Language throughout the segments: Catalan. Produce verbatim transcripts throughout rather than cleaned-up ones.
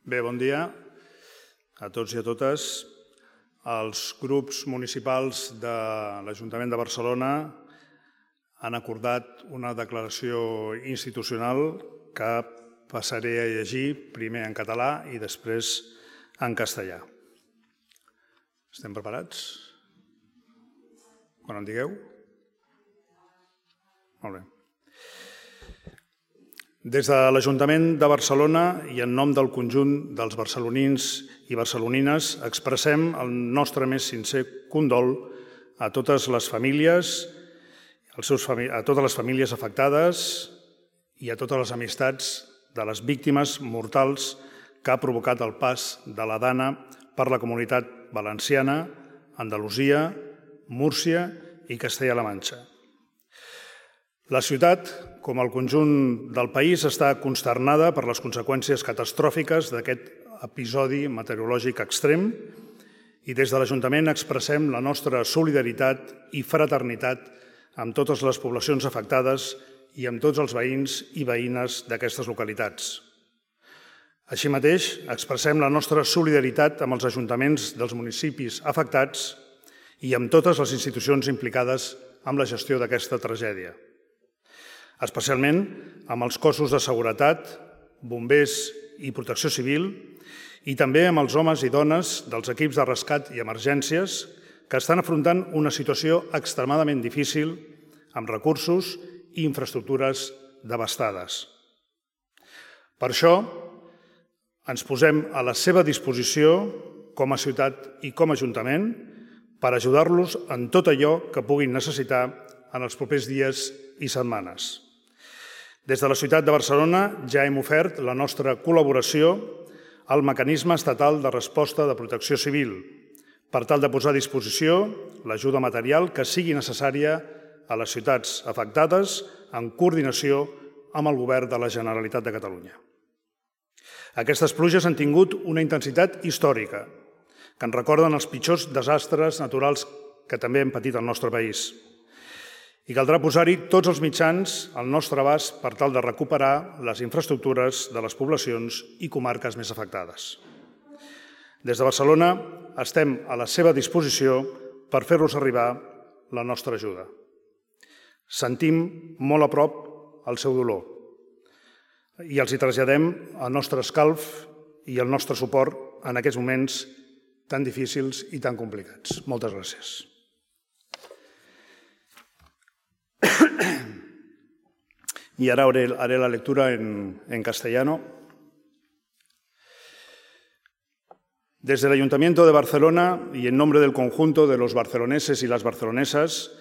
Bé, bon dia a tots i a totes. Els grups municipals de l'Ajuntament de Barcelona han acordat una declaració institucional que passaré a llegir primer en català i després en castellà. Estem preparats? Quan en digueu? Molt bé. Des de l'Ajuntament de Barcelona i en nom del conjunt dels barcelonins i barcelonines expressem el nostre més sincer condol a totes les famílies, a totes les famílies afectades i a totes les amistats de les víctimes mortals que ha provocat el pas de la Dana per la Comunitat Valenciana, Andalusia, Múrcia i Castella-La Manxa. La ciutat, com el conjunt del país, està consternada per les conseqüències catastròfiques d'aquest episodi meteorològic extrem i des de l'Ajuntament expressem la nostra solidaritat i fraternitat amb totes les poblacions afectades i amb tots els veïns i veïnes d'aquestes localitats. Així mateix, expressem la nostra solidaritat amb els ajuntaments dels municipis afectats i amb totes les institucions implicades amb la gestió d'aquesta tragèdia, especialment amb els cossos de seguretat, bombers i protecció civil i també amb els homes i dones dels equips de rescat i emergències que estan afrontant una situació extremadament difícil amb recursos i infraestructures devastades. Per això, ens posem a la seva disposició com a ciutat i com a ajuntament per ajudar-los en tot allò que puguin necessitar en els propers dies i setmanes. Des de la ciutat de Barcelona ja hem ofert la nostra col·laboració al mecanisme estatal de resposta de protecció civil per tal de posar a disposició l'ajuda material que sigui necessària a les ciutats afectades en coordinació amb el Govern de la Generalitat de Catalunya. Aquestes pluges han tingut una intensitat històrica que ens recorden els pitjors desastres naturals que també hem patit al nostre país. I caldrà posar-hi tots els mitjans al nostre abast per tal de recuperar les infraestructures de les poblacions i comarques més afectades. Des de Barcelona estem a la seva disposició per fer-los arribar la nostra ajuda. Sentim molt a prop el seu dolor i els hi traslladem el nostre escalf i el nostre suport en aquests moments tan difícils i tan complicats. Moltes gràcies. Y ahora haré la lectura en, en castellano. Desde el Ayuntamiento de Barcelona y en nombre del conjunto de los barceloneses y las barcelonesas,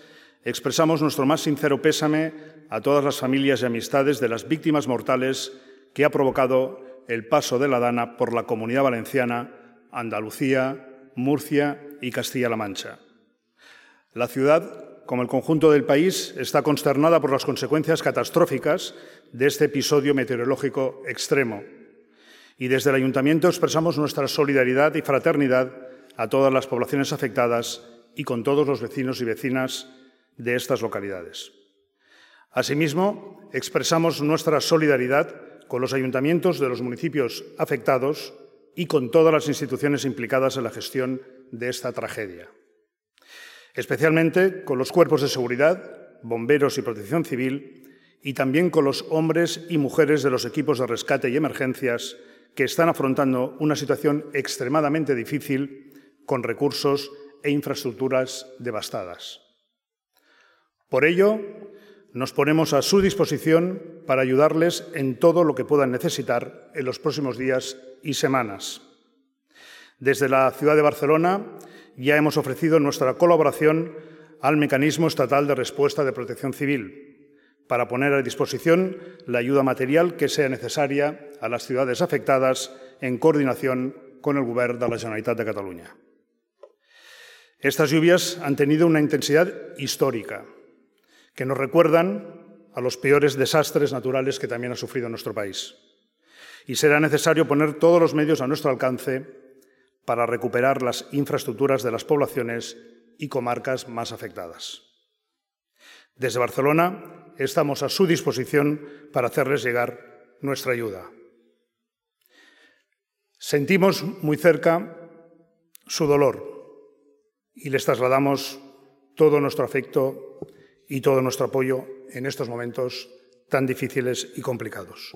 expresamos nuestro más sincero pésame a todas las familias y amistades de las víctimas mortales que ha provocado el paso de la Dana por la Comunidad Valenciana, Andalucía, Murcia y Castilla-La Mancha. La ciudad, como el conjunto del país, está consternada por las consecuencias catastróficas de este episodio meteorológico extremo. Y desde el Ayuntamiento expresamos nuestra solidaridad y fraternidad a todas las poblaciones afectadas y con todos los vecinos y vecinas de estas localidades. Asimismo, expresamos nuestra solidaridad con los ayuntamientos de los municipios afectados y con todas las instituciones implicadas en la gestión de esta tragedia, especialmente con los cuerpos de seguridad, bomberos y protección civil, y también con los hombres y mujeres de los equipos de rescate y emergencias que están afrontando una situación extremadamente difícil con recursos e infraestructuras devastadas. Por ello, nos ponemos a su disposición para ayudarles en todo lo que puedan necesitar en los próximos días y semanas. Desde la ciudad de Barcelona ya hemos ofrecido nuestra colaboración al Mecanismo Estatal de Respuesta de Protección Civil para poner a disposición la ayuda material que sea necesaria a las ciudades afectadas en coordinación con el Govern de la Generalitat de Cataluña. Estas lluvias han tenido una intensidad histórica que nos recuerdan a los peores desastres naturales que también ha sufrido nuestro país. Y será necesario poner todos los medios a nuestro alcance para recuperar las infraestructuras de las poblaciones y comarcas más afectadas. Desde Barcelona estamos a su disposición para hacerles llegar nuestra ayuda. Sentimos muy cerca su dolor y les trasladamos todo nuestro afecto y todo nuestro apoyo en estos momentos tan difíciles y complicados.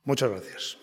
Muchas gracias.